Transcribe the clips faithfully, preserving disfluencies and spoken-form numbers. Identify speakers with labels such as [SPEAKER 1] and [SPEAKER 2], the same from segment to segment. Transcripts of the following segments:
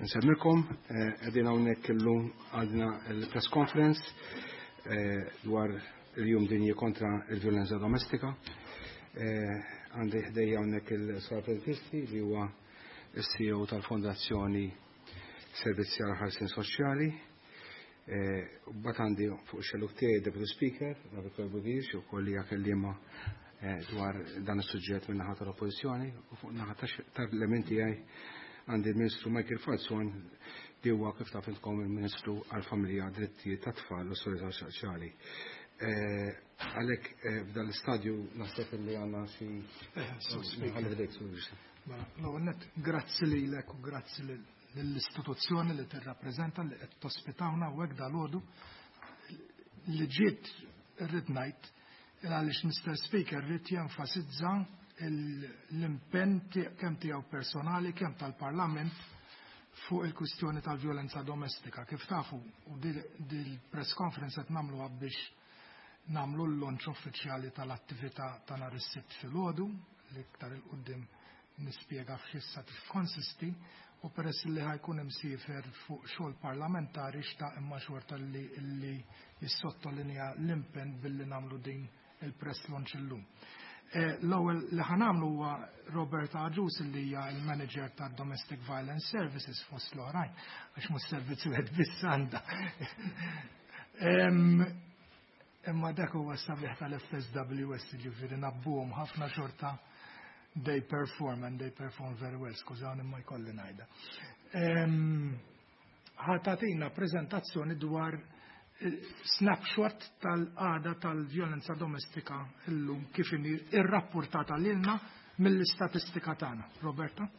[SPEAKER 1] Nsemmilkom, qegħdin hawnhekk illum għandna l-press conference dwar il-jum dinji kontra il-violenza domestika. Għandi ħdejja hawnhekk il-Sar Prentisti li huwa s-C E O tal-Fondazzjoni Servizzi għal Ħarsien Soċjali. Bat għandi fuq xelluk tiegħi Deputy Speaker, Rabbi Budish, u kolli hija kelliema dwar dan is-suġġett minn naħa tal-Oppożizzjoni, u fuq naħa tal-element tiegħi għandi l-Ministru Michael Falzon li huwa kif taf intkom il-Ministru għall-Familja, Drittijiet tat-Tfal u Solidarità Soċjali. Għalhekk f'dan l-istadju naħseb li għandna xi
[SPEAKER 2] Mela, l-ewwel nett, grazzi lilek u grazzi lill-istituzzjoni li tirrappreżenta li qed tospitawna hawnhekk dalgħodu li ġiet irrid ngħid għaliex Mister Speaker rrid jenfasizza l-impenn kemm tiegħu personali kemm tal-Parlament fuq il-kwistjoni tal-vjolenza domestika. Kif tafu, u dil-press conference qed nagħmluha biex nagħmlu l-launch uffiċjali tal-attività ta' nhar is-Sibt filgħodu li iktar il quddiem nispjega f'x'issa tikkonsisti, u peress li ħajkun imsiefer fuq xogħol parlamentari xtaq imma xorta li, li jissottolinja l-impenn billi nagħmlu din il-press launch illum. L-ewwel li ħanamlu huwa Roberta Agius li hija l-manager ta' Domestic Violence Services fost l-oħrajn, għax mhux servizzi wieħed biss għandha. Imma dak huwa s-sabiħ tal-F S W S, ġifieri nabbuhom ħafna xorta they perform and they perform very well, skużawni ma jkolli ngħidha. Ħatatina preżentazzjoni dwar snapshot tal-qagħda tal-vjolenza domestika illum kif inhi irrapportata lilna mill-istatistika tagħna. Roberta?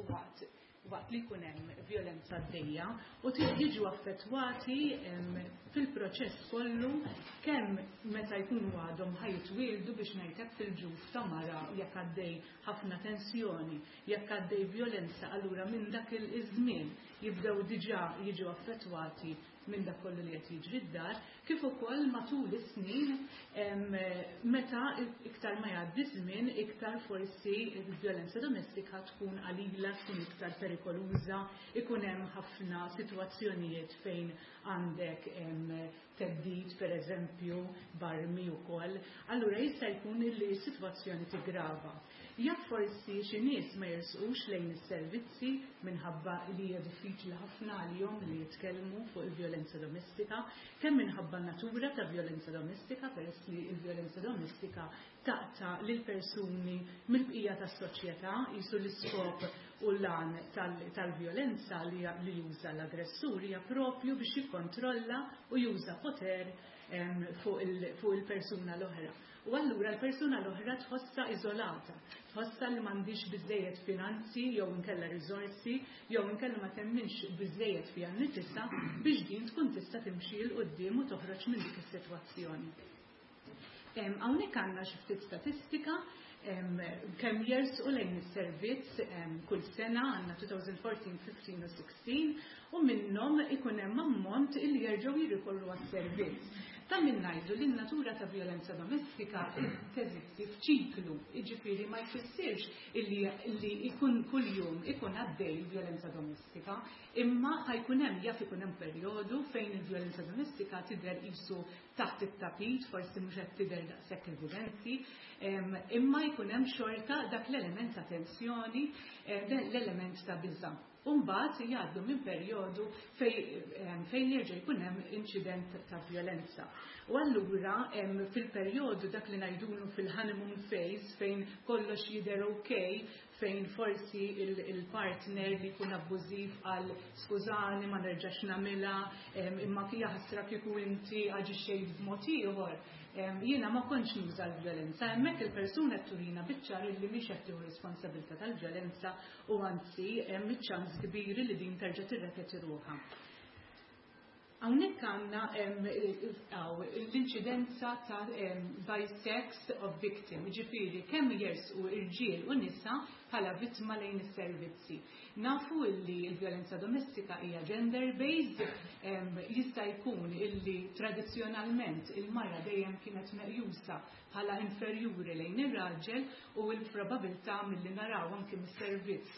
[SPEAKER 3] Waqt, waqt li jkun hemm vjolenza għaddejja u jiġu affettwati, em, fil-proċess kollu kemm meta jkunu għadhom ħajtwieldu biex ngħidlek fil-ġuf ta' mara jekk għaddej ħafna tensjoni, jekk għaddej vjolenza, allura minn dak il-żmien jibdew diġà jiġu affettwati minn dak kollu li qed jiġri d-dar, kif ukoll matul is-snin, em, meta iktar ma jgħaddi żmien, iktar forsi l-vjolenza domestika tkun qalila, tkun iktar perikoluża, ikun hemm ħafna sitwazzjonijiet fejn għandek, em, theddid, per eżempju, barmi wkoll. Allura jista' jkun li s-sitwazzjoni tigrava. Jekk forsi xi nies ma jersqux lejn is-servizzi minħabba li hija diffiċli ħafna għalihom li jitkellmu fuq il-vjolenza domestika, kemm minħabba natura ta' vjolenza domestika, peress li l-vjolenza domestika taqta' lil persuni mill-bqija tas-soċjetà, jisu l-iskop u l-għan tal-, tal-vjolenza li, li juża l-aggressur hija propju biex jikkontrolla u juża poter, em, fuq il-, fuq il-persuna l-oħra. U allura l-persuna l-oħra tħossha iżolata, tħossha li m'għandix biżejjed finanzi jew inkella riżorsi jew inkella ma temminx biżejjed fiha nnifisha biex din tkun tista' timxi 'l quddiem u toħroġ minn dik is-sitwazzjoni. Hawnhekk għandna xi ftit statistika kemm jersqu lejn is-servizz kull sena, għandna elfejn u erbatax, ħmistax u sittax, u minnhom ikun hemm ammont illi jerġgħu jirrikorru għas-servizz. Ta' min ngħidu li n-natura ta' violenza domestika teżisti f'ċiklu, jiġifieri ma jfissirx illi, illi ikun kuljum ikun għaddej il-violenza domestika, imma ħa jkun hemm, jaf ikun hemm perjodu fejn il-violenza domestika tidher qisu taħt it-tapit, forsi mhux qed tidher daqshekk evidenti, imma jkun hemm xorta dak l-element ta' tensjoni, l-element ta' biża'. Umbagħad jgħaddu minn perjodu fejn jerġa' jkun hemm inċident ta' violenza. U allura fil-perjodu dak li ngħidulu fil-honeymoon phase, fejn kollox jidher okay, fejn forsi il-partner li jkun abbużiv għal "skużani, ma nerġax nagħmilha, imma jaħasra kieku inti aġixxejt b'mod ieħor. Jiena ma kontx nuża l-violenza." Hemmhekk il-persuna turina biċ-ċar li mhix qed tieħu responsabilità tal-violenza u anzi hemm iċ-ċans kbir li din terġa' tirrepeti ruħha. Hawnhekk għandna l-inċidenza ta' by sex of victim, ġifieri kemm jersqu irġiel u nisa bħala vittma lejn is-servizzi. Nafu illi l-violenza domestika hija gender-based, jista' jkun illi tradizzjonalment il-mara dejjem kienet meqjusa bħala inferjuri lejn ir-raġel, u l-probabilità milli naraw anke mis-servizz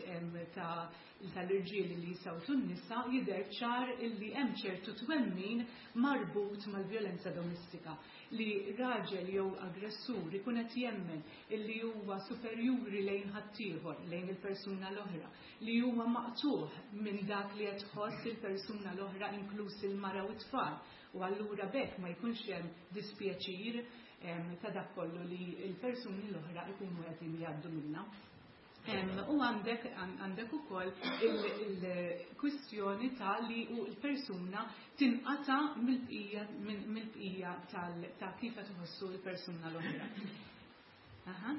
[SPEAKER 3] ta' tal-irġiel li jisawtu n-nisa jidher ċar illi hemm ċertu twemmin marbut mal-violenza domestika, li raġel jew aggressur ikun qed jemmen illi huwa superjuri lejn ħaddieħor, lejn il-persuna l-oħra, li huwa maqtuħ minn dak li qed tħoss il-persuna l-oħra, inkluż il-mara u t-tfal, u allura bekk ma jkunx hemm dispjaċir ta' dak kollu li l-persuni l-oħra ikunu qegħdin jgħaddu minnha. U għandek għandek ukoll il-kwistjoni ta' li u l-persuna tinqata mill-bqija mill-bqija ta' kif qed iħossu l-persuna l-oħra. Aha.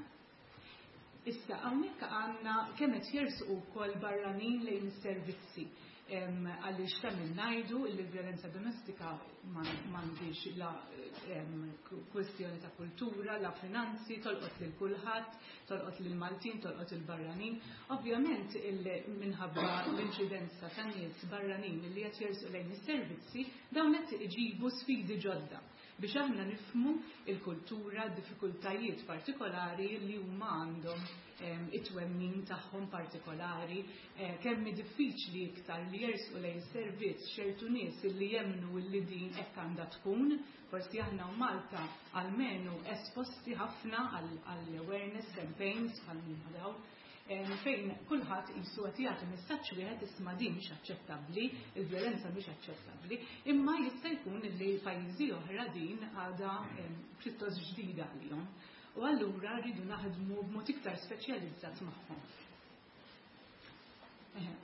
[SPEAKER 3] Issa hawnhekk għandna kemm qed jersqu wkoll barranin lejn is-servizzi, għaliex ta' min ngħidu li l-violenza domestika m'għandix la kwestjoni ta' kultura, la finanzi, tolqot lil kulħadd, tolqot lil Maltin, tolqot il-barranin. Ovvjament, minħabba l-inċidenza ta' nies barranin li qed jersqu lejn is-servizzi, dawn qed iġibu sfidi ġodda biex aħna nifhmu il-kultura, diffikultajiet partikolari li huma għandhom, it-twemmin tagħhom partikolari, eh, kemm diffiċli iktar li jersqu lejn servizz ċertu nies li jemnu li din hekk għandha tkun. Forsi aħna u Malta almenu esposti ħafna għall-awareness campaigns bħal minn daw, fejn kulħadd qisu qed jagħti messaġġ wieħed: isma', din mhix aċċettabbli, il-vjolenza mhix aċċettabbli, imma jista' jkun li pajjiżi oħra din għadha pjuttost ġdida għalihom. U allura rridu naħdmu b'mod iktar speċjalizzat magħhom.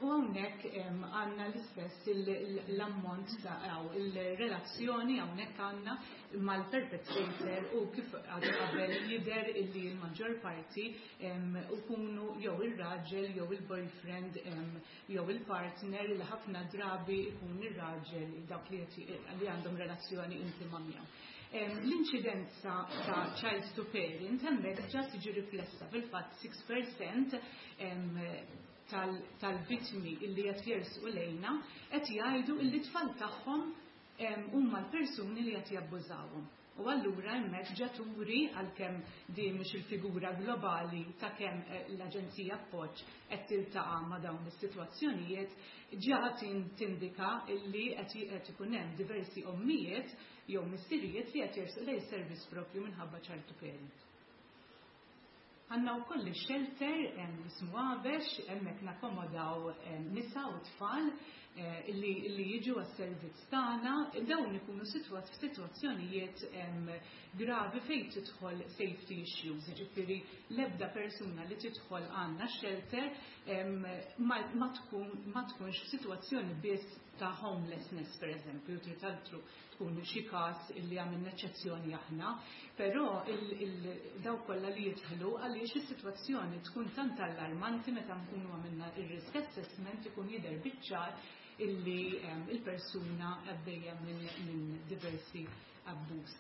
[SPEAKER 3] U hawnhekk għandna l-istess l-ammont ta' il-relazzjoni hawnhekk għandna mal-perpetrator, u kif għadu qabel jidher illi l-maġġor parti ikunu jew ir-raġel jew il-boyfriend jew il-partner, li ħafna drabi ikun ir-raġel, dak li għandhom relazzjoni intima miegħu. L-inċidenza ta' child to parent hemmhekk ġa tiġi riflessa fil-fatt sitta fil-mija tal-vittmi illi qed jersqu lejna qed jgħidu illi tfal tagħhom huma l-persuni li qed jabbużawhom. U allura hemmhekk ġa turi, għalkemm din mhix il-figura globali ta' kemm eh, l-Aġenzija Appoġġ qed tiltaqa' ma' dawn is-sitwazzjonijiet, ġa tindika illi qed ikun hemm diversi ommijiet jew missirijiet li qed jersqu lejn servizz propju minħabba child to parent. Għandna wkoll shelter jismu Għabex, hemmhekk nakkomodaw nisa u tfal eh, li jiġu għas-servizz tagħna. Dawn ikunu f'sitwazzjonijiet gravi fejn tidħol safety issues, ġifieri l-ebda persuna li tidħol għandna shelter ma tkunx f'sitwazzjoni biss ta' homelessness, per eżempju, trid altru tkun xi każ illi għamilna eċċezzjoni aħna, però daw kollha li jidħlu, għaliex is-sitwazzjoni tkun tant allarmanti, meta nkunu għamilna ir-risk assessment ikun jidher biċ-ċar illi il-persuna għaddejja minn diversi abbuż.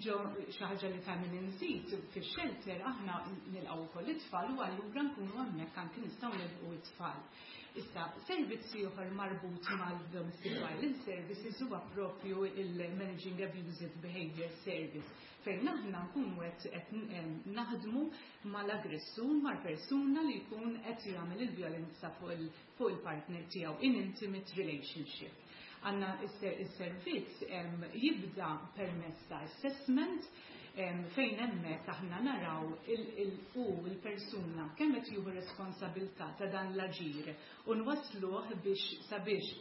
[SPEAKER 3] Ġo xi ħaġa li tagħmel inżid, fix-shelter aħna nilqgħu wkoll it-tfal u allura nkunu hemmhekk anki nistgħu nilqu it-tfal. Issa, servizzi oħor marbut mal-Domestic Violence Services huwa propju il-Managing Abusive Behavior Service, fejn aħna nkunu qed naħdmu mal-aggressur, mal-persuna li jkun qed jagħmel il-vjolenza fuq il-partner tiegħu in intimate relationship. Għanna is-servizz jibda permezz ta' assessment fejn hemmhekk aħna naraw u il-persuna kemm qed jieħu responsabilità ta' dan l-aġir u nwasluh biex sabiex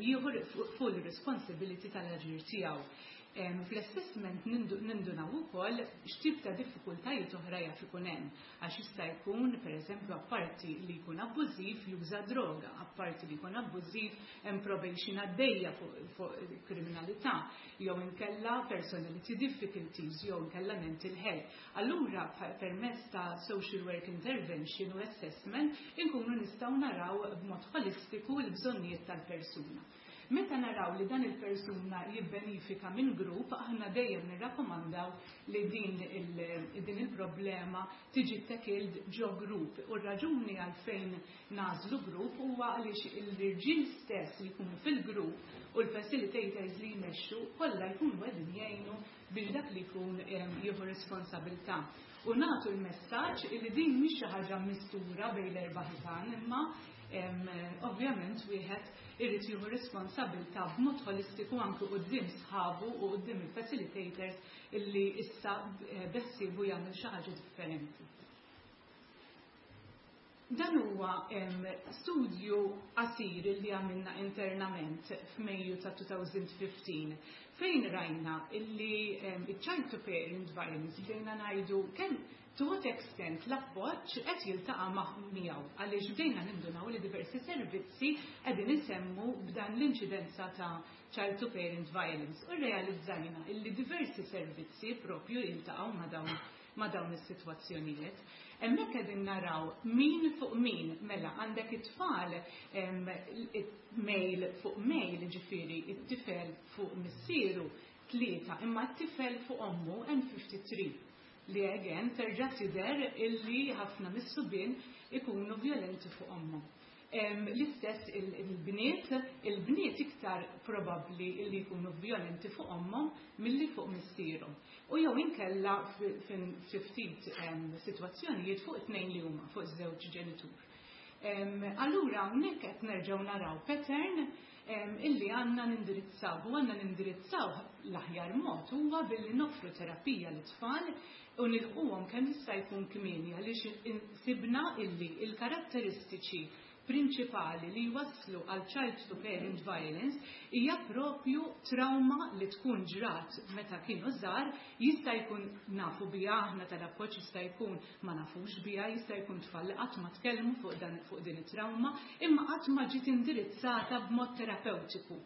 [SPEAKER 3] jieħu full responsibility tal-aġir tiegħu. Fl-assessment nindunaw ukoll x'tip ta' diffikultajiet oħra jaf ikun hemm, għax jista' jkun, pereżempju, apparti li jkun abbużiv juża droga, apparti li jkun abbużiv hemm probation għaddejja fuq kriminalità, jew inkella personality difficulties, jew inkella mental health. Allura permezz ta' social work intervention u assessment inkunu nistgħu naraw b'mod holistiku l-bżonnijiet tal-persuna. Meta naraw li dan il-persuna jibbenifika minn grupp, aħna dejjem nirrakkomandaw li din il, il-problema tiġi tackled ġo grupp. U r-raġuni għalfejn nagħżlu grupp huwa għaliex l-irġiel stess li jkunu fil-grupp u l-facilitators li jmexxu kollha jkunu qegħdin jgħinu biex dak li jkun jieħu responsabilità. U nagħtu l-messaġġ li din mhix xi ħaġa mistura bejn l-erba' ħitan, imma ovvjament wieħed irid jieħu responsabilità b'mod holistiku anke quddiem sħabu u quddiem il-facilitators illi issa beħsiebu jagħmel xi ħaġa differenti. Dan huwa studju qasir li għamilna internament f'Mejju ta' elfejn u ħmistax fejn rajna illi il-child to parent violence, bdejna ngħidu kemm, to what extent l-appoġġ qed jiltaqa' miegħu, għaliex bdejna nindunaw li diversi servizzi qegħdin isemmu b'dan l-inċidenza ta' child to parent violence u realizzajna illi diversi servizzi propju jiltaqgħu ma' dawn ma' dawn is-sitwazzjonijiet. Hemmhekk qegħdin naraw min fuq min, mela għandek it-tfal male fuq male, ġifieri it-tifel fuq missieru tlieta, imma t-tifel fuq ommu hemm tlieta u ħamsin, li again terġa' tidher illi ħafna mis-subien ikunu violenti fuq ommhom. L-istess il-bniet, il-bniet iktar probabbli illi jkunu violenti fuq ommhom milli fuq missierhom. U jew inkella fi ftit sitwazzjonijiet fuq it-tnejn li huma, fuq iż-żewġ ġenitur. Allura hawnhekk qed nerġgħu naraw pattern illi għandna nindirizzaw, u għandna nindirizzaw l-aħjar mod huwa billi noffru terapija lit-tfal u nilquhom kemm jista' jkun kmieni, għaliex sibna illi il-karatteristiċi prinċipali li jwasslu għal child to parent violence hija propju trauma li tkun ġrat meta kienu żgħar. Jista' jkun nafu biha aħna tal-appoġġ, jista' jkun ma nafux biha, jista' jkun tfal li qatt ma tkellmu fuq dan fuq din it-trauma, imma qatt ma ġiet indirizzata b'mod terapeutiku.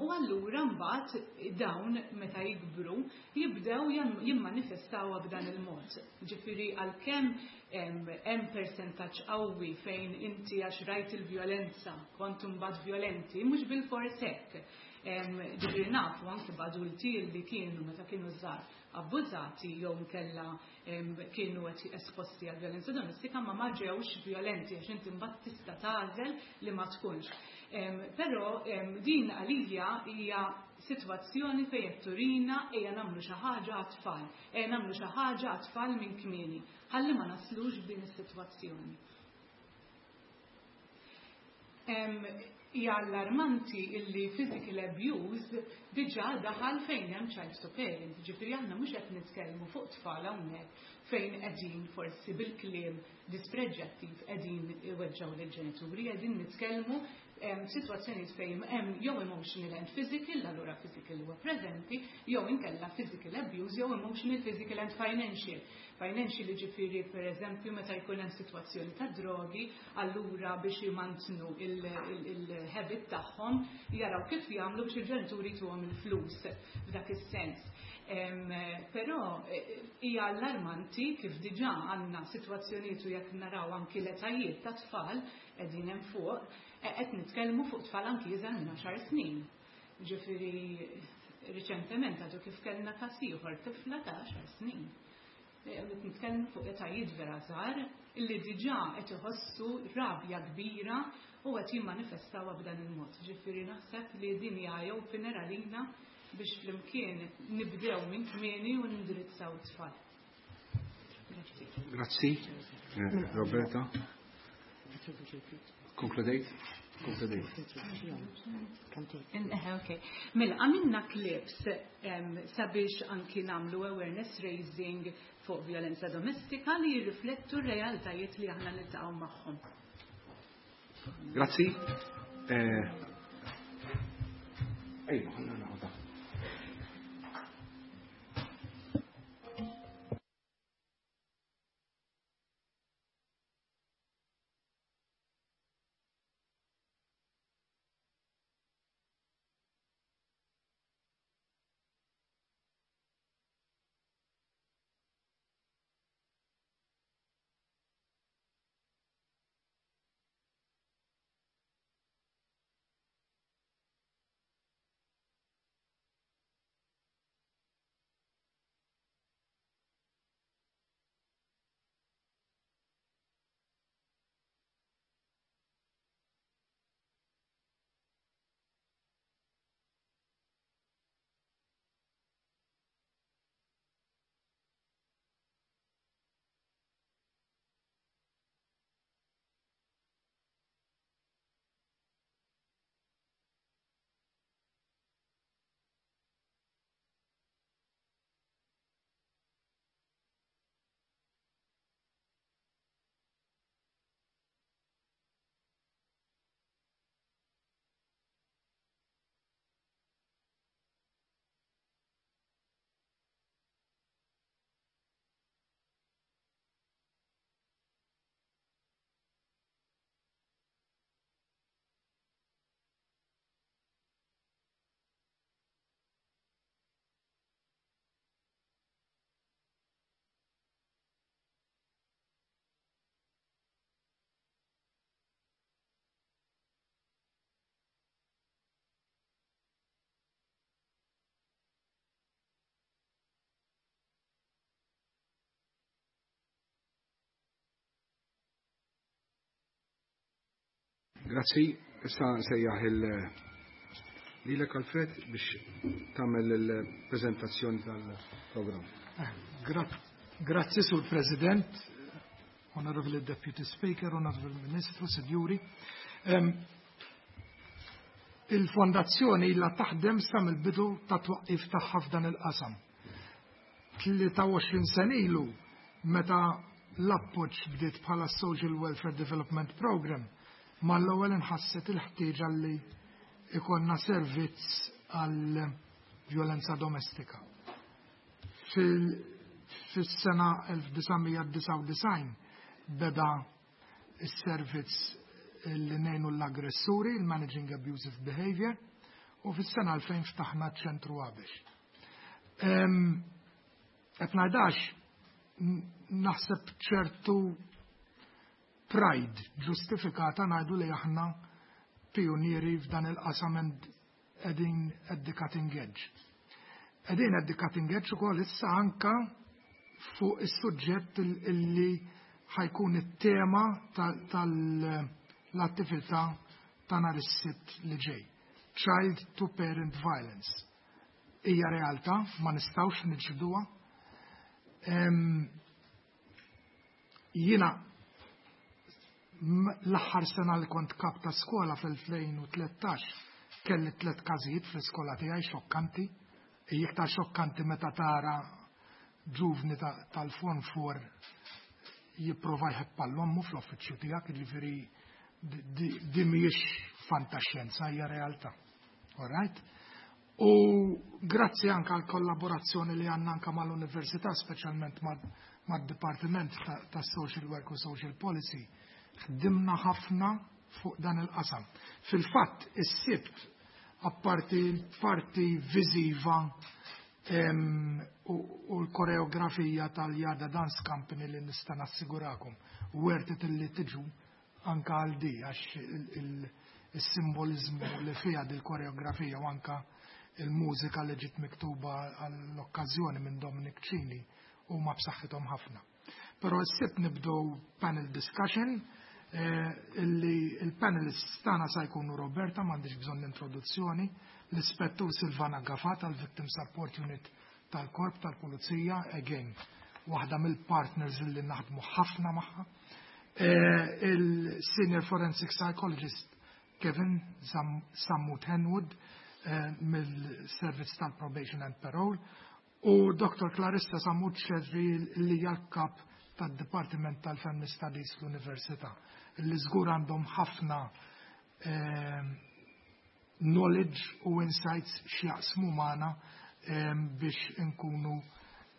[SPEAKER 3] U allura mbagħad dawn meta jikbru jibdew jimmanifestawha b'dan il-mod. Ġifieri għalkemm hemm persentaġġ qawwi fejn inti għax rajt il-vjolenza kont imbagħad violenti, mhux bil-fors hekk. Ġifieri nafu anke b'adulti li kienu meta kienu żgħar abbużati jew nkella kienu qed esposti għal vjolenza domestika, ma ma ġewx violenti, għax inti mbagħad tista' tagħżel li ma tkunx. Però din għalija hija sitwazzjoni fejn qed turina ejja nagħmlu xi ħaġa għat-tfal, ejja nagħmlu xi ħaġa għat-tfal minn kmieni, ħalli ma naslux b'din is-sitwazzjoni. Hija allarmanti illi physical abuse diġà daħal fejn hemm child to parent. Ġifieri aħna mhux qed nitkellmu fuq tfal hawnhekk fejn qegħdin forsi bil-kliem dispreġġattiv qegħdin iweġġgħu lill-ġenituri, qegħdin nitkellmu situazzjonijiet fejn hemm jew emotional and physical, allura physical huwa preżenti, jew inkella physical abuse, jew emotional, physical and financial. Financial ġifieri, per eżempju, meta jkun hemm sitwazzjoni ta' drogi, allura biex jmantnu il-habit tagħhom jaraw kif jagħmlu biex il-ġenituri tuhom il-flus f'dak is-sens. Però eh, hija allarmanti kif diġà għandna sitwazzjonijiet, u jekk naraw anki l-etajiet ta' tfal qegħdin hemm fuq, eh, qed nitkellmu fuq tfal anki iżgħar minn għaxar snin. Ġifieri Riċentement għadu kif kellna każ ieħor tifla ta' għaxar snin. Nitkellmu fuq etajiet vera żgħar illi diġà qed iħossu rabja kbira u qed jimmanifestawha b'dan il-mod. Ġifieri naħseb li din hija eye-opener għalina biex flimkien nibdew minn kmieni u nindirizzaw it-tfal. Grazzi.
[SPEAKER 1] Grazzi, Roberta. Konkludejt? Konkludejt.
[SPEAKER 3] Okay. Mela, għamilna clips sabiex anki nagħmlu awareness raising fuq violenza domestika li jirriflettu r-realtajiet li aħna niltaqgħu magħhom.
[SPEAKER 1] Grazzi. Ejja, ħanna naħodha. Grazzi, issa nsejjaħ il-lilek Alfred biex tagħmel il-preżentazzjoni tal-programm.
[SPEAKER 2] Grazzi, Sur President, Honorable Deputy Speaker, Honorable Ministru, Sinjuri. Il-fondazzjoni ilha taħdem sa mill-bidu ta' twaqqif tagħha f'dan il-qasam. tlieta u għoxrin sena ilu meta l-appoġġ bdiet bħala Social Welfare Development Program, mal-ewwel inħasset il-ħtieġa li ikonna servizz għal violenza domestika. Fis-sena elf disa' mija disgħa u disgħin beda s-servizz li ngħinu l-aggressuri, il-Managing Abusive Behavior, u fis-sena elfejn ftaħna ċentru Għabex. Qed ngħidax naħseb ċertu pride ġustifikata ngħidu li aħna pionieri f'dan il-qasam qegħdin at the cutting edge. Qegħdin at the cutting edge ukoll issa anka fuq is-suġġett illi ħajkun it-tema tal-attività ta' nhar is-Sibt li ġej. Child to Parent Violence. Hija realtà, ma nistgħux niġġielduha. Jiena l-aħħar sena li kont kap ta' skola fil-elfejn u tlettax kelli tliet każijiet fl-iskola tiegħi xokkanti. Hija iktar xokkanti meta tara ġuvni tal-Form four jipprova jħebb għall-ommu fl-uffiċċju tiegħek, jiġifieri di mhijiex fantaxjenza, hija realtà. All right? U grazzi anke għall kollaborazzjoni li għandna anke mal-università, speċjalment mad-Dipartiment ta' Social Work u Social Policy, ħdimna ħafna fuq dan il-qasam. Fil-fatt, is-Sibt, apparti parti viżiva u l-koreografija tal-Jada Dance Company li nista' nassigurakom, worth it li tiġu anka għal di, għax il-simbolizmu li fija dil-koreografija u anka Il-mużika li ġiet miktuba għall-okkażjoni minn Dominic Cini huma b'saħħithom ħafna. Però s-Sibt nibdew panel discussion eh, illi il-panelists tagħna sa jkunu Roberta, m'għandix bżonn introduzzjoni, l-Ispettur Silvana Gafà tal-Victim Support Unit tal-Korp tal-Pulizija, again, waħda mill-partners illi naħdmu ħafna magħha. Eh, il-Senior Forensic Psychologist Kevin Sammut Henwood eh, mill-Servizz tal-Probation and Parole u Doktor Clarissa Sammut Scerri, li hija l-kap tad-Dipartiment tal-Family Studies fl-Università, li żgur għandhom ħafna eh, knowledge u insights x'jaqsmu magħna biex inkunu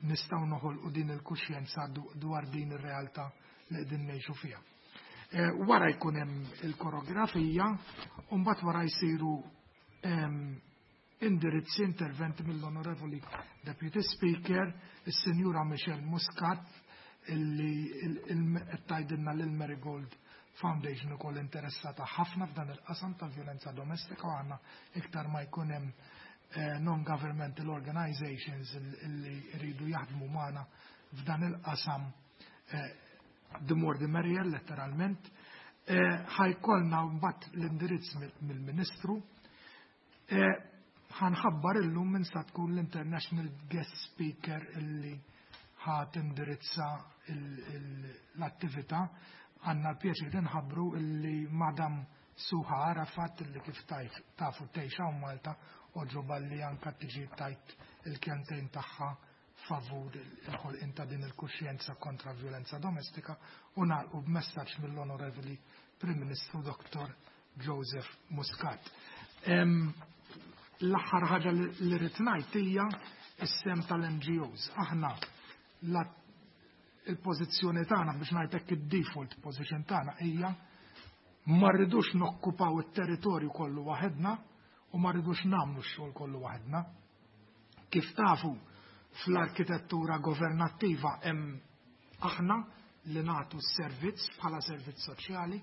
[SPEAKER 2] nistgħu noħolqu din il-kuxjenza dwar din ir-realtà li qegħdin ngħixu fiha. Eh, wara jkun hemm il-koreografija u mbagħad wara jsiru indirizzi, interventi mill-Onorevoli Deputy Speaker, is-Sinjura Michelle Muscat, illi qed tgħidilna lil Marigold Foundation ukoll interessata ħafna f'dan il-qasam tal-vjolenza domestika, u għandna iktar ma jkun hemm eh, non-governmental organizations illi jridu jaħdmu magħna f'dan il-qasam, eh, the more the merrier, letteralment. Eh, ħa jkollna mbagħad l-indirizz mill-Ministru. Ħa nħabbar illum min sa tkun l-International Guest Speaker illi ħa tindirizza l-attività. Għandna l-pjaċir nħabbru illi Madam Suha Arafat, illi kif tafu tgħix Malta, għoġobha li anka tiġi tgħid il-kelmtejn tagħha favur il-ħolqien ta' din il-kuxjenza kontra violenza domestika, u nagħlqu b'messaġġ mill-Onorevoli Prim Ministru Doktor Joseph Muscat. L-aħħar ħaġa li rrid ngħid hija s-sehem tal-N G Os. Aħna il-pożizzjoni tagħna, biex ngħidlek, id-default position tagħna hija ma rridux nokkupaw it-territorju kollu waħedna u ma rridux nagħmlu x-xogħol kollu waħedna. Kif tafu, fl-arkitettura governattiva hemm aħna li nagħtu s-servizz bħala servizz soċjali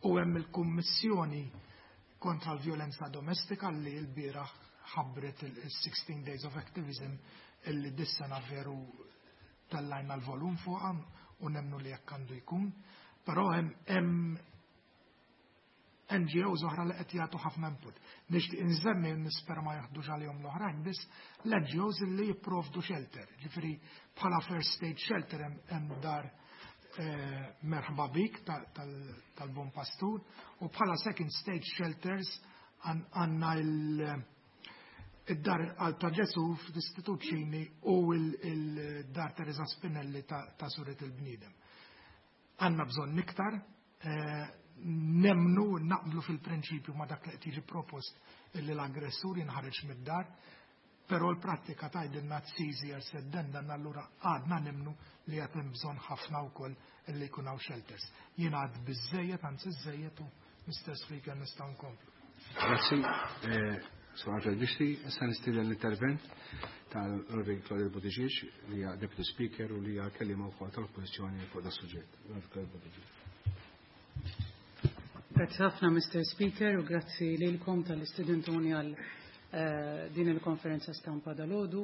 [SPEAKER 2] u hemm il-Kummissjoni kontra l-vjolenza domestika li l-bieraħ ħabbret il-sixteen Days of Activism, illi dis-sena veru tellajna l-volum fuqha u nemnu li jekk għandu jkun. Però hemm N G Os oħra li qed jagħtu ħafna input. Nixtieq inżemmi, nispera ma jaħdux għalihom l-oħrajn biss, l-N G Os li jipprovdu shelter. Ġifieri bħala first stage shelter hemm dar eh, Merħba Bik tal-Bon Pastur u bħala second stage shelters għandna il- id-dar għal ta' Ġesu fl-Istitut Ċini u il-dar Teresa Spinelli ta' Suret il-Bniedem. Għandna bżonn iktar, eh, nemnu naqblu fil-prinċipju ma dak li qed jiġi propost illi l-aggressur jinħareġ mid-dar, però l-prattika tgħidilna it's easier said than done, allura għadna nemnu li għad hemm bżonn ħafna wkoll illi jkun hawn shelters. Jien għad biżejjed, anzi żejjed, u Mister Speaker, nistgħu nkomplu.
[SPEAKER 1] Grazzi, eh, Sur Alfred Bixti. Issa nistieden l-intervent tal-Onorevoli Claudette Buttigieg, li hija Deputy Speaker u li hija kelliema wkoll tal-Oppożizzjoni fuq da suġġett. Onorevoli Buttigieg.
[SPEAKER 4] Grazzi ħafna, Mister Speaker, u grazzi lilkom talli stedintuni għal eh, din il-konferenza stampa dalgħodu.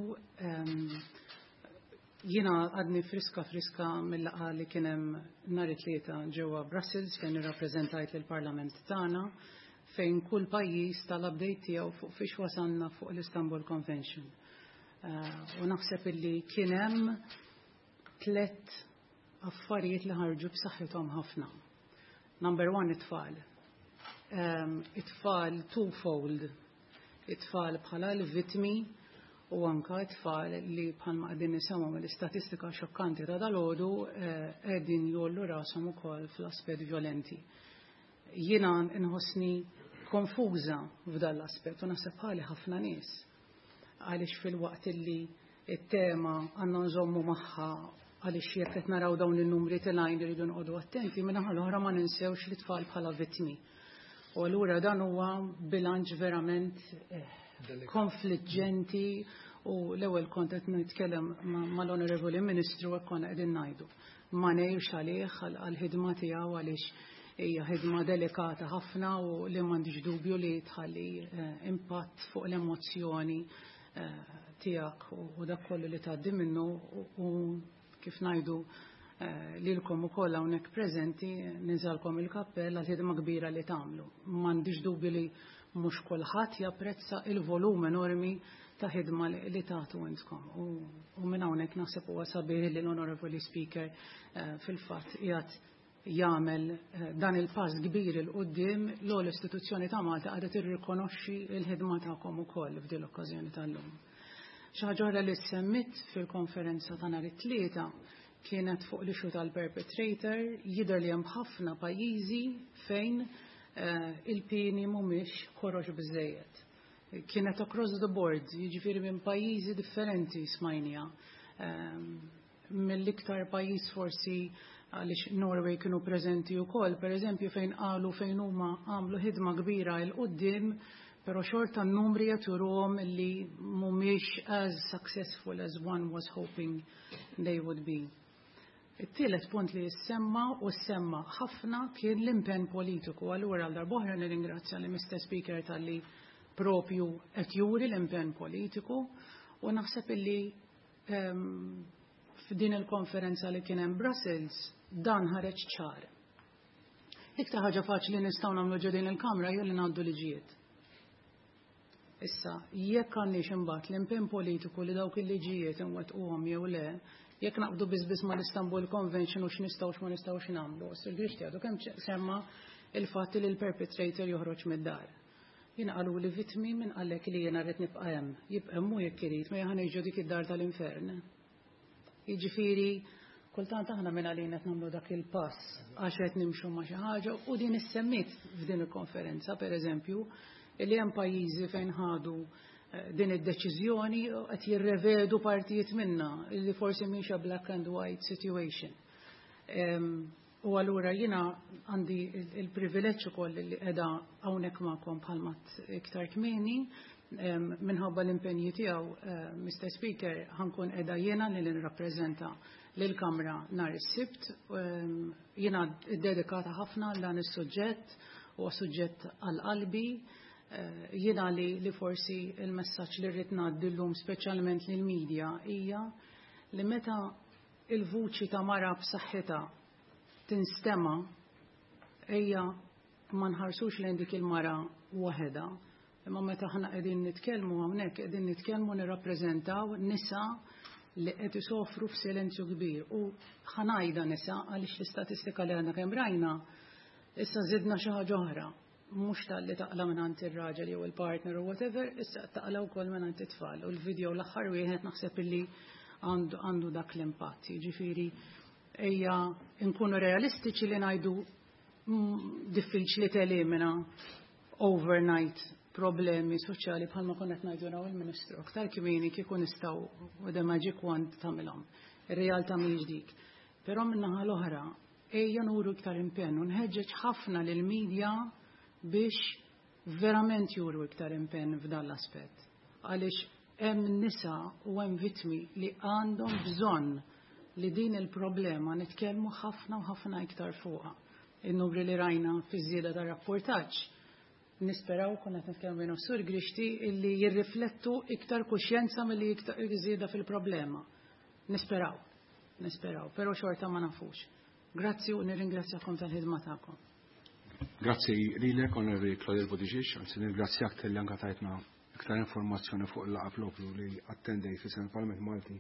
[SPEAKER 4] Jiena għadni friska friska mill-laqgħa li kien hemm nhar it-Tlieta ġewwa Brussels, fejn irrappreżentajt lill-Parlament tagħna, fejn kull pajjiż tal-update tiegħu fuq fiex wasalna fuq l-Istanbul Convention. Eh, u naħseb illi kien hemm tlet affarijiet li ħarġu b'saħħithom ħafna. Number one, it-tfal. Um, it-tfal twofold. It-tfal bħala l-vitmi u anka it-tfal li, bħalma qegħdin nisimgħu mill-istatistika xokkanti ta' dalgħodu, eh, qegħdin jgħollu rashom ukoll fl-aspett violenti. Jiena nħossni konfuża f'dan l-aspett u naħseb bħali ħafna nies. Għaliex fil-waqt illi it-tema għandna nżommu magħha, għaliex jekk qed naraw dawn in-numri telgħin iridu noqogħdu attenti, min-naħa l-oħra ma ninsewx li tfal bħala vittmi. U allura dan huwa bilanċ verament eh, konfliġġenti u l-ewwel kont qed nitkellem mal-Onorevoli Ministru, hekk konna qegħdin ngħidu. Ma ngħirx għalih għall-ħidma tiegħu, għaliex Hija ħidma delikata ħafna u li m'għandix dubju li tħalli impatt fuq l-emozzjoni tiegħek u dak kollu li tgħaddi minnu u kif ngħidu lilkom ukoll hawnhekk preżenti ninżalkom il-kappell għal ħidma kbira li tagħmlu. M'għandix dubju li mhux kulħadd japprezza il-volum enormi ta' ħidma li tagħtu intkom. U minn hawnhekk naħseb huwa sabiħ li l-Honorable Speaker fil-fatt qiegħed jagħmel dan il-pass kbir 'il quddiem l-istituzzjoni ta' Malta qiegħda tirrikonoxxi l-ħidma tagħkom ukoll f'din l-okkażjoni tal-lum. Xi ħaġa oħra li semmit fil-konferenza ta' nhar it-Tlieta kienet fuq l-issue tal-perpetrator. Jidher li hemm ħafna pajjiżi fejn il-pieni mhumiex korox biżejjed. Kienet across the board, jiġifieri minn pajjiżi differenti smajnija. Mill-iktar pajjiż forsi għaliex Norway kienu preżenti wkoll, pereżempju fejn qalu fejn huma għamlu ħidma kbira 'l quddiem, però xorta n-numri jaturuhom li mhumiex as successful as one was hoping they would be. It-tielet punt li jissemma u semma ħafna kien l-impenn politiku. Allura għal darb'oħra nirringrazzja li Mister Speaker talli propju qed juri l-impenn politiku u naħseb illi f'din il-konferenza li kien hemm Brussels dan ħareġ ċar. Iktar ħaġa faċli nistgħu nagħmlu ġo din il-Kamra hija li ngħaddu liġijiet. Issa, jekk għandniex imbagħad l-impenn politiku li dawk il-liġijiet inwettquhom jew le, jekk naqbdu biss biss mal-Istanbul Convention u x'nistgħu x'ma nistgħux nagħmlu. Sur Grixti għadu kemm semma il-fatt li l-perpetrator joħroġ mid-dar. Jien qalu li vittmi minn qallek li jiena rrid nibqa' hemm. Jibqa' hemm hu jekk irid, ma ħa ngħixu dik id-dar tal-infern. Jiġifieri kultant aħna minn għalina qed nagħmlu dak il-pass għax qed nimxu ma' xi ħaġa u din issemmit f'din il-konferenza, pereżempju, li hemm pajjiżi fejn ħadu din id-deċiżjoni qed jirrevedu partijiet minna li forsi mhix a black and white situation. U allura jiena għandi il-privileġġ ukoll li qiegħda hawnhekk magħkom bħalma iktar kmieni minħabba l-impenji tiegħu, Mister Speaker, ħankun qiegħda jiena li nirrappreżenta lill-Kamra nhar is-Sibt. Jiena ddedikata ħafna għal dan is-suġġett, huwa suġġett għal qalbi. Jiena li, li forsi il-messaġġ li rrid ngħaddi llum speċjalment lill-medja hija li meta il-vuċi ta' mara b'saħħitha tinstema' ejja ma nħarsux lejn dik il-mara waħedha, imma meta aħna qegħdin nitkellmu hawnhekk qegħdin nitkellmu nirrappreżentaw nisa li qed isofru f'silenzju kbir. U ħanajda nisa għaliex l-istatistika li għandna kemm rajna issa żidna xi ħaġa oħra, mhux talli taqla' mingħand ir-raġel jew il-partner u whatever, issa taqla' wkoll mingħand it-tfal. U l-video l-aħħar wieħed naħseb illi għandu, għandu dak l-impatt. Jiġifieri ejja nkunu realistiċi li ngħidu diffiċli telimina overnight problemi soċjali bħalma konna qed ngħidu naw il-Ministru. Aktar kmieni kieku nistgħu with the magic wand tagħmilhom. Ir-realtà mhijiex dik. Però min-naħa l-oħra ejja nuru iktar impenn u nħeġġeġ ħafna lill-medja biex verament juru iktar impenn f'dan l-aspett. Għaliex hemm nisa u hemm vittmi li għandhom bżonn li din il-problema nitkellmu ħafna u ħafna iktar fuqha. In-numri li rajna fiż-żieda tar-rapportaġġ nisperaw konna qed nitkellmu bejn Sur Grixti illi jirriflettu iktar kuxjenza milli iktar żieda fil-problema. Nisperaw, nisperaw, però xorta ma nafux. Grazzi u nirringrazzjakom tal-ħidma tagħkom.
[SPEAKER 1] Grazzi lilek, Onorevoli Claudette Buttigieg, anzi nirringrazzjak talli anke tajtna iktar informazzjoni fuq il-laqgħa propju li attendejt fi il-Parlament Malti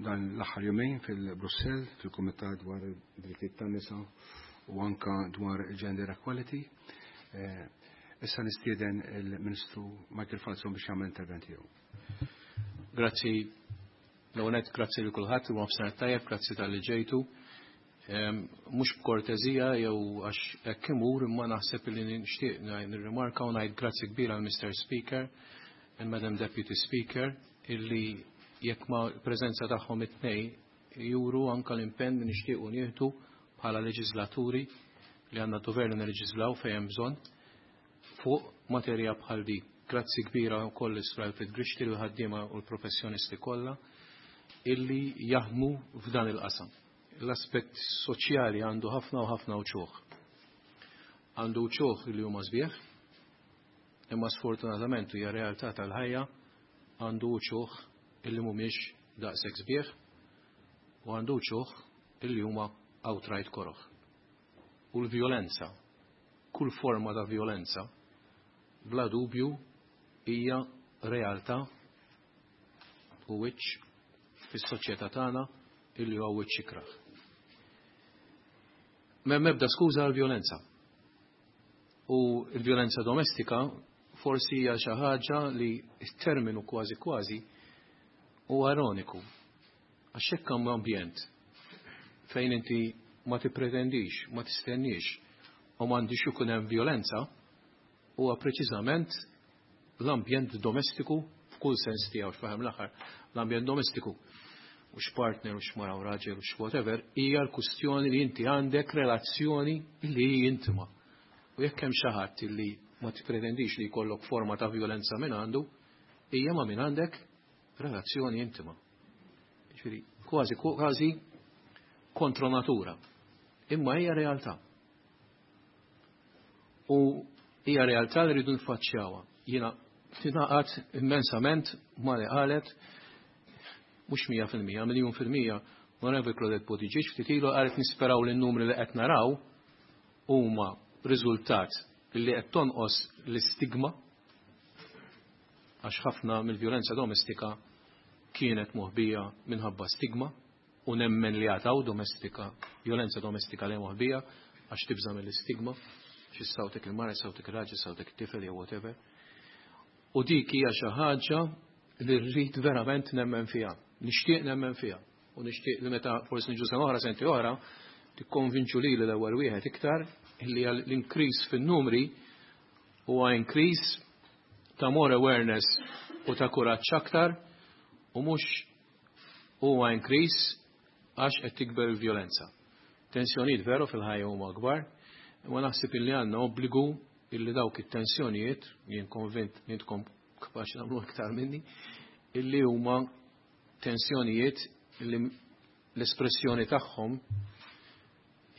[SPEAKER 1] dan l-aħħar jumejn fil-Brussell, fil-Kumitat dwar id-drittijiet tan-nisa u anka dwar gender equality. Issa nistieden il-Ministru Michael Falzon biex jagħmel intervent tiegħu.
[SPEAKER 5] Grazzi l-għonet, grazzi li kulħadd u nofsinhar tajjeb, grazzi talli ġejtu. Mhux b'kortezija jew għax hekk imur, imma naħseb li nixtieq nirrimarka u ngħid grazzi kbira għal Mister Speaker and Madam Deputy Speaker illi jekk ma preżenza tagħhom it-tnejn juru anka l-impenn li nixtiequ nieħdu bħala leġislaturi li għandna dover li nirleġislaw fejn hemm bżonn fuq materja bħal di. Grazzi kbira wkoll is-Sur Alfred Grixti li ħaddiema u l-professjonisti kollha illi jaħdmu f'dan il-qasam. L-aspett soċjali għandu ħafna u ħafna uċuħ. Għandu wċuħ li huma sbieħ, imma sfortunatament hija realtà tal-ħajja, għandu wċuħ illi mhumiex daqshekk sbieħ u għandu wċuħ illi huma outright koroħ. U l-vjolenza, kull forma ta' vjolenza, bla dubju hija realtà u wiċċ fis-soċjetà tagħna illi huwa wiċċ ikrah. M'hemm ebda skuża għall-vjolenza. U l-vjolenza domestika forsi hija xi ħaġa li t-terminu kważi kważi huwa ironiku. Għax hekk hemm ambjent fejn inti ma tippretendix, ma tistenniex u m'għandix ikun hemm vjolenza, huwa preċiżament l-ambjent domestiku f'kull sens tiegħu, x'fahem l-aħħar, l-ambjent domestiku u x'partner u x'mara u raġel u x'whatever, hija l-kwistjoni li inti għandek relazzjoni li hi intima. U jekk hemm xi ħadd li ma tippretendix li jkollok forma ta' vjolenza minn għandu, hija ma' minn għandek relazzjoni intima. Ġifieri kważi kważi kontra natura. Imma hija realtà. U hija realtà li rridu nfaċċjawha. Jiena tingħaqad immensament ma li qalet mhux mija fil-mija, miljun fil-mija, Onorevoli Claudette Buttigieg ftit ilu qalet nisperaw li n-numri li qed naraw huma riżultat li qed tonqos l-istigma, għax ħafna mill-vjolenza domestika kienet moħbija minħabba stigma, u nemmen li għataw domestika, vjolenza domestika li moħbija għax tibża mill-istigma, xi sawtek il-mara, sawtek il-raġel, sawtek it-tifel jew whatever. U dik hija xi ħaġa li rrid verament nemmen fiha, nixtieq nemmen fiha, u nixtieq li meta forsi niġu sena oħra, senti oħra, tikkonvinċu lili l-ewwel wieħed iktar li l-increase fin-numri huwa increase ta' more awareness u ta' kuraġġ aktar, u mhux huwa increase għax qed tikber il-vjolenza. Tensjonijiet veru fil-ħajja huma kbar, imma naħseb illi għandna obbligu illi dawk it-tensjonijiet, jien konvint li intkom kapaċi nagħmlu iktar minni, illi huma tensjonijiet illi l-espressjoni tagħhom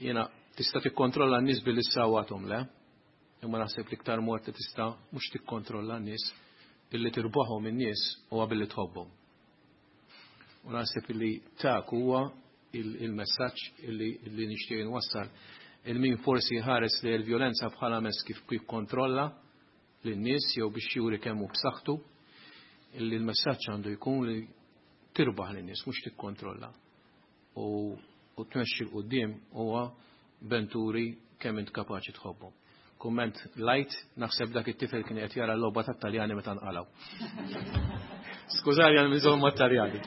[SPEAKER 5] jiena tista' tikkontrolla n-nies billi ssawwathom, le, imma naħseb li iktar mod li tista' mhux tikkontrolla n-nies illi tirbaħhom in-nies huwa billi tħobbhom. U naħseb illi tak huwa il-messaġġ illi nixtieq nwassal il-min forsi ħares li l-vjolenza bħala mezz kif jikkontrolla lin-nies jew biex juri kemm hu b'saħħtu, illi l-messaġġ għandu jkun li tirbaħ lin-nies mhux tikkontrolla. U, u tmexxi 'l quddiem huwa benturi kemm int kapaċi tħobbhom. Kumment light, naħseb dak it-tifel kien qed jara l-logħba tat-Taljani meta nqalgħu. Skużani għal miżhom mat-Taljani.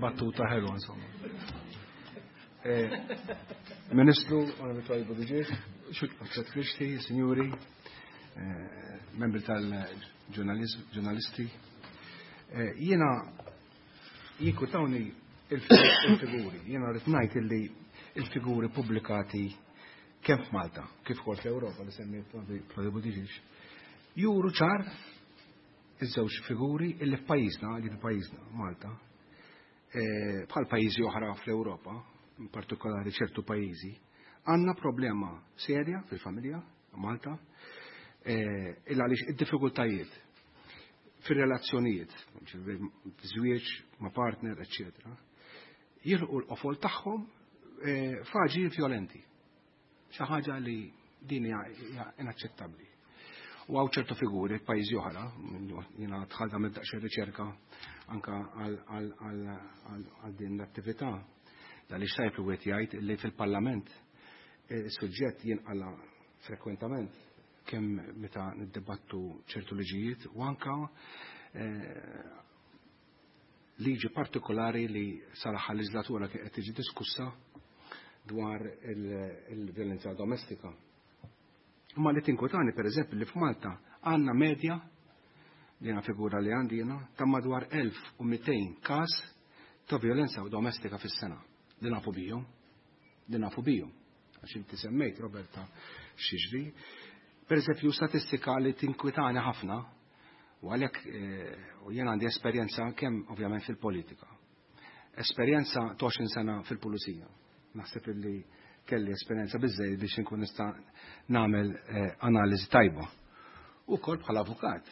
[SPEAKER 1] Battuta ħelwa insomma. Ministru, Onorevoli Buttigieg, Alfred Grixti, signori, membri tal-ġurnalisti, jiena jinkwetawni il-figuri, jiena rrid ngħid illi il-figuri pubblikati kemm f'Malta, kif ukoll fl-Ewropa li semmi Claudia Buttigieg, juru ċar iż-żewġ figuri illi f'pajjiżna, li f'pajjiżna Malta, bħal pajjiżi oħra fl-Ewropa, in partikolari ċertu pajjiżi, għandna problema serja fil-familja Malta, illa għaliex id-diffikultajiet fir-relazzjonijiet, żwieġ ma' partner, eċċetera, jilħqu l-qofol tagħhom f'aġir vjolenti. Xi ħaġa li din hija inaċċettabbli. U hawn ċertu figuri f'pajjiżi oħra, jiena dħalt għamilt daqsxejn riċerka anka għal din l-attività. Għaliex tajb li wieħed jgħid li fil-Parlament is-suġġett jinqala frekwentament kemm meta niddibattu ċertu liġijiet u anka liġi partikolari li sal-aħħar leġislatura kien qed tiġi diskussa dwar il-vjolenza domestika. Imma li tinkwetani pereżempju li f'Malta għandna medja li għandna figura li għandi jiena ta' madwar elf u mitejn każ ta' vjolenza domestika fis-sena. Li nafu bihom, li nafu bihom. Għax inti semmejt, Roberta, x'jiġri. Per eżempju, statistika li tinkwitani ħafna, u għalhekk u jien għandi esperjenza kemm ovvjament fil-politika. Esperjenza ta' għoxrin sena fil-pulizija. Naħseb illi kelli esperjenza biżżejjed biex inkun nista' nagħmel analiżi tajba. Ukoll bħala avukat.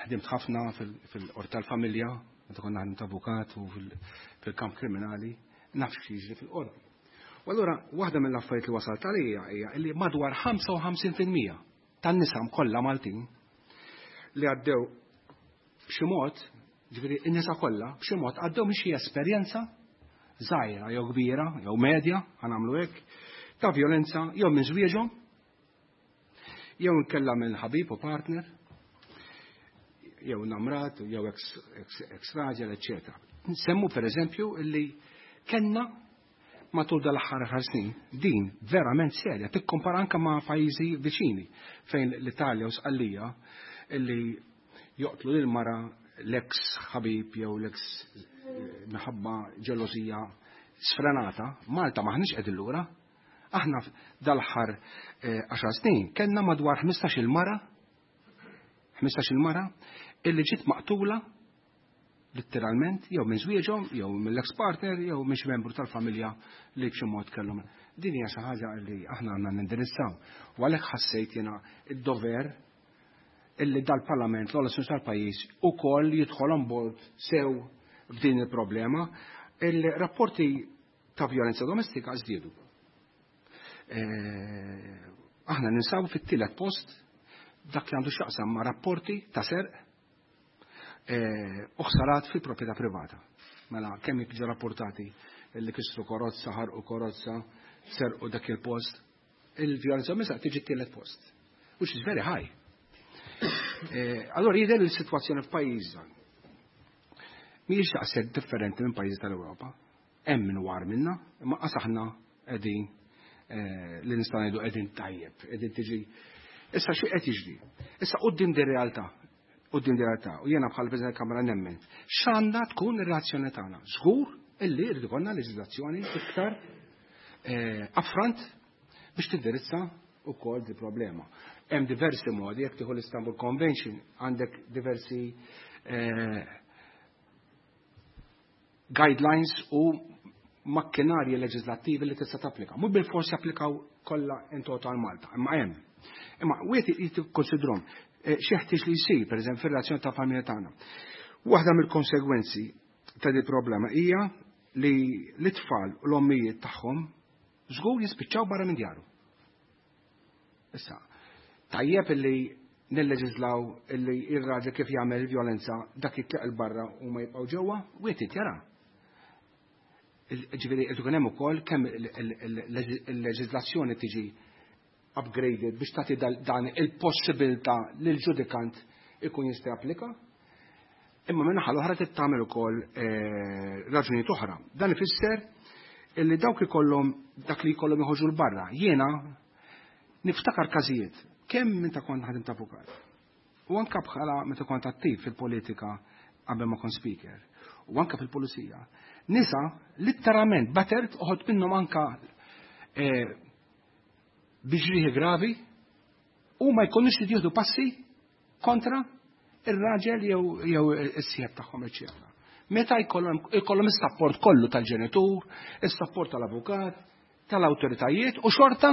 [SPEAKER 1] Ħdimt ħafna fil-qorti tal-familja, meta konna ħdimt avukat u fil-kamp kriminali, naf x'jiġri fil-qorti. U allura waħda mill-affarijiet li wasalt għalija hija li madwar ħamsa u ħamsin fil-mija tan-nisa kollha Maltin li għaddew b'xi mod, ġifieri n-nisa kollha b'xi mod għaddew minn xi esperjenza żgħira jew kbira jew medja, ħanagħmlu hekk, ta' vjolenza jew minn żwieġhom, jew inkella minn ħabib u partner, jew namrat, jew ex raġel, eċċetera. Nsemmu pereżempju illi kellna matul dal-aħħar ħar snin din verament serja, tikkompara anke ma' pajjiżi viċini fejn l-Italja u Sqallija illi joqtlu lil mara l-ex ħabib jew l-ex minħabba ġelosija sfrenata. Malta maħniex qegħdin lura. Aħna dal-aħħar għaxar snin kellna madwar ħmistax-il mara, ħmistax-il mara illi ġiet maqtula letteralment jew minn żwieġhom jew mill-ex partner jew minn xi membru tal-familja li b'xi mod kellhom. Din hija xi ħaġa li aħna għandna nindirizzaw. U għalhekk ħassejt jiena id-dover illi dal-Parlament, l-ogħla istituzzjoni tal-pajjiż, ukoll jidħol on board sew f'din il-problema. Il-rapporti ta' vjolenza domestika żdiedu. Aħna ninsabu fit-tielet post dak li għandu x'jaqsam ma' rapporti ta' serq u ħsarat fil-proprjetà privata. Mela kemm jiġu rapportati li kisru karozza, ħarqu karozza, serqu dak il-post, il-vjolenza domestika tiġi t-tielet post, which is very high. Allora jidher il-sitwazzjoni f'pajjiżna mhijiex daqshekk differenti minn pajjiżi tal-Ewropa. Hemm min war minna, imma qas aħna qegħdin li nista' ngħidu qegħdin tajjeb, qegħdin tiġi. Issa xi qed jiġri? Issa quddiem din realtà, quddiem din realtà, u jiena bħal President Kamra nemmen, x'għandha tkun ir-reazzjoni tagħna? Żgur illi jrid ikollna leġiżlazzjoni iktar affront biex tindirizza wkoll di problema. Hemm diversi modi, jekk tieħu l-Istanbul Convention, għandek diversi guidelines u makkinarji leġislattivi li tista' tapplika. Mhux bil-forsi applikaw kollha in total Malta, imma hemm. Imma wieħed jikkonsidrhom xi ħtieġ li jsir, pereżempju, fir-relazzjoni ta' familja tagħna. Waħda mill-konsegwenzi ta' di problema hija li l-itfal u l-ommijiet tagħhom żgur jispiċċaw barra minn djaru. Issa, tajjeb illi nilleġislaw illi ir-raġel kif jagħmel il-vjolenza dak jitlaq il barra u ma jibqgħu ġewwa, wieħed jara. Ġifieri qed ikun hemm ukoll kemm il-leġiżlazzjoni tiġi upgraded biex tagħti dan il-possibilità lil ġudikant ikun jista' japplika. Imma minn naħa l-oħra trid tagħmel ukoll raġunijiet oħra. Dan ifisser illi dawk ikollhom dak li jkollhom joħorġu l barra. Jiena niftakar każijiet kemm meta kont ħadim ta' avukat u anke bħala meta kont attiv fil-politika qabel ma kont speaker u anke fil-pulizija. Nisa litteralment battered uħod minnhom anke biġrieħi gravi u ma jkunux li jieħdu passi kontra ir-raġel jew jew is-sieħeb tagħhom, eċċetera. Meta jkollhom ikollhom is-sapport kollu tal-ġenitur, is-sapport tal-avukat, tal-awtoritajiet u xorta.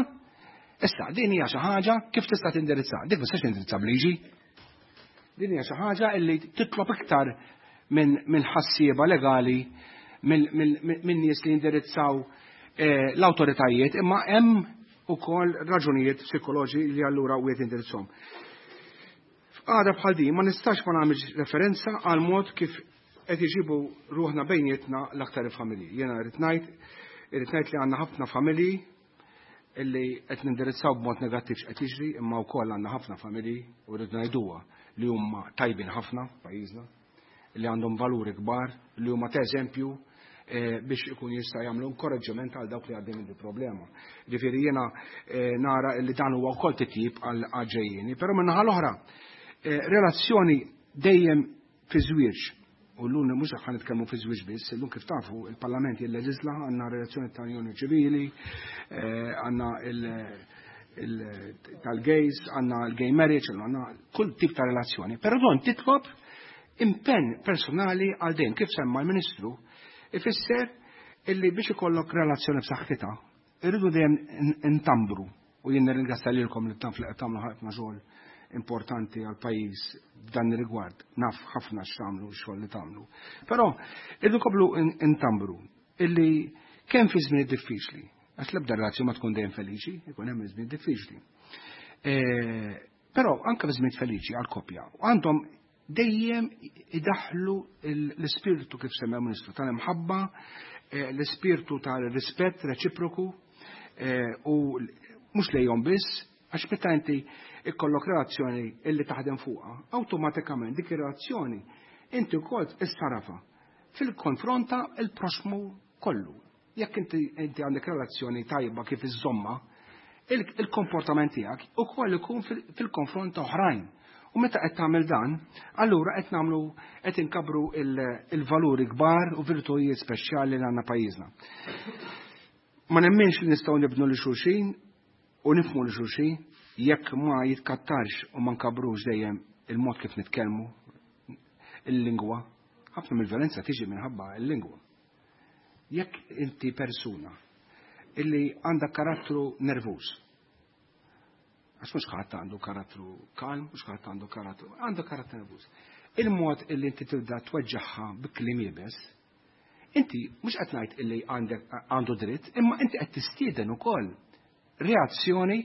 [SPEAKER 1] Issa din hija xi ħaġa kif tista' tindirizza. Dik ma tistax tindirizza b'liġi. Din hija xi ħaġa li titlob iktar minn min ħassieba legali, minn nies li jindirizzaw l-awtoritajiet, imma hemm ukoll raġunijiet psikoloġi li allura wieħed indirizzhom. F'qagħda bħal din ma nistax ma nagħmilx referenza għal mod kif qed iġibu ruħna bejnietna l-aktar il-familji. Jiena rrid ngħid, irrid ngħid li għandna ħafna familji illi qed nindirizzaw b'mod negattiv x'qed jiġri, imma wkoll għandna ħafna familji u rrid ngħiduha li huma tajbin ħafna f'pajjiżna, li għandhom valuri kbar, li huma ta' eżempju biex ikun jista' jagħmlu inkoraġġiment għal dawk li għaddejjin minn problema. Ġifieri jiena nara li dan huwa wkoll titjib għal ġejjieni, però min-naħa l-oħra relazzjoni dejjem fi żwieġ, u llum mhux ħa nitkellmu fi żwieġ biss, illum kif tafu il-Parlament jilleġisla, għandna relazzjoni ta' unjoni ċivili, għandna tal-gays, għandna l-gay marriage, għandna kull tip ta' relazzjoni, però don titlob impenn personali għal dejjem, kif semma l-Ministru, ifisser illi biex ikollok relazzjoni b'saħħitha, Irridu dejjem intambru, u jien nirringrazzja lilkom li tagħmlu ħafna xogħol importanti għal pajjiż f'dan ir-rigward. Naf ħafna x'tagħmlu x-xogħol li tagħmlu. Però irridu nkomplu intambru illi kemm fi żmien diffiċli, għax l-ebda relazzjoni ma tkun dejjem feliċi, ikun hemm żmien diffiċli. Però anke fi żmien feliċi għal koppja għandhom dejjem idaħlu l-ispirtu kif semmew Ministru tal-imħabba, l-ispirtu tal-rispett reċiproku u mhux lejhom biss, għax meta inti ikollok relazzjoni illi taħdem fuqha, awtomatikament dik ir-relazzjoni inti wkoll issarafa fil-konfronta il-proxmu kollu. Jekk inti inti għandek relazzjoni tajba kif iżomma, il-komportament tiegħek ukoll ikun fil-konfront ta' oħrajn. U meta qed tagħmel dan, allura qed nagħmlu qed inkabru il-valuri kbar u virtujiet speċjali li għandna pajjiżna. Ma nemminx li nistgħu nibnu li xulxin u nifhmu li xulxin jekk ma jitkattarx u ma nkabrux dejjem il-mod kif nitkellmu, il-lingwa. Ħafna mill-violenza tiġi minħabba il-lingwa. Jekk inti persuna illi għandha karattru nervuż, għax mhux ħadd għandu karattru kalm, mhux ħadd għandu karattru, għandu karattru nervuż. Il-mod illi inti tibda tweġġaħħa bi kliem iebes, inti mhux qed ngħid illi għandek għandu dritt, imma inti qed tistieden ukoll reazzjoni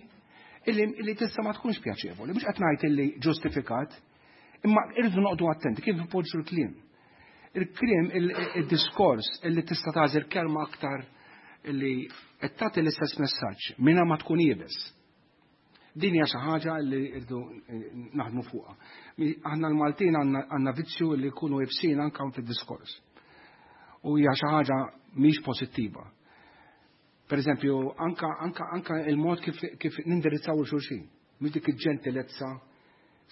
[SPEAKER 1] illi, illi tista' ma tkunx pjaċevoli, mhux qed ngħid illi ġustifikat, imma irridu noqogħdu attenti kif ipoġġu l-kliem. Il-kliem, il-diskors illi tista' tagħżel kelma aktar illi qed tagħti l-istess messaġġ mingħajr ma tkun iebes. Din hija xi ħaġa li rridu naħdmu fuqha. Aħna l-Maltin għandna vizzju li jkunu iebsin anke fid-diskors. U hija xi ħaġa mhix pożittiva. Per eżempju, anka, anka, anka il-mod kif, kif nindirizzaw il-xulxin, mhux dik il-ġentilezza,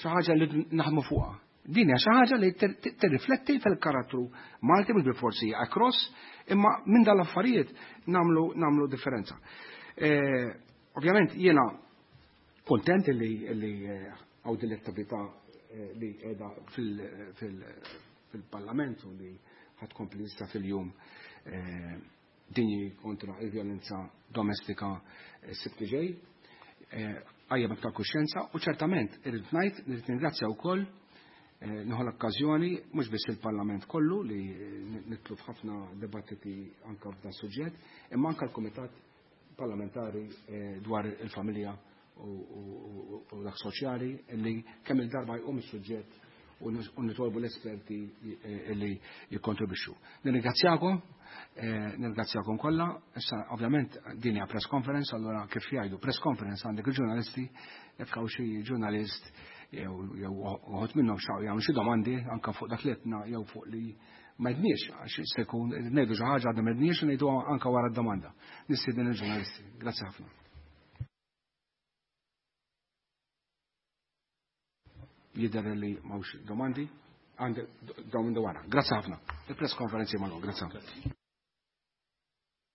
[SPEAKER 1] xi ħaġa li naħdmu fuqha. Din hija xi ħaġa li tirrifletti fil-karattru Malti mhux bil-forsi across, imma minn dal-affarijiet nagħmlu nagħmlu differenza. Eh, ovvjament jiena kontent li li hawn din l-attività li qiegħda fil-Parlament u li ħad tkompli issa fil-jum dinji kontra il-vjolenza domestika s-sibt li ġej, għajja aktar kuxjenza u ċertament irrid ngħid irrid ningrazzja wkoll nieħu l-okkażjoni mhux biss il-Parlament kollu li nitlu f'ħafna dibattiti anke f'dan suġġett, imma anke l-Kumitat Parlamentari dwar il-familja u dak soċjali li kemm il-darba jqum is-suġġett u nitolbu l-esperti li jikkontribwixxu. Nirringrazzjakom, nirringrazzjakom kollha. Issa ovvjament din hija press conference, allura kif jgħidu press conference għandek il-ġurnalisti, jekk hawn xi ġurnalist jew jew uħud minnhom xaqu jagħmlu xi domandi anke fuq dak li għedna jew fuq li ma għedniex, għax se jkun ngħidu xi ħaġa għadna ma għedniex u ngħidu anke wara d-domanda. Nistieden il-ġurnalisti. Grazzi ħafna. Jidher li m'hawnx domandi, għandek dawn wara. Grazzi ħafna. Il-press conference magħluq, grazzi ħafna.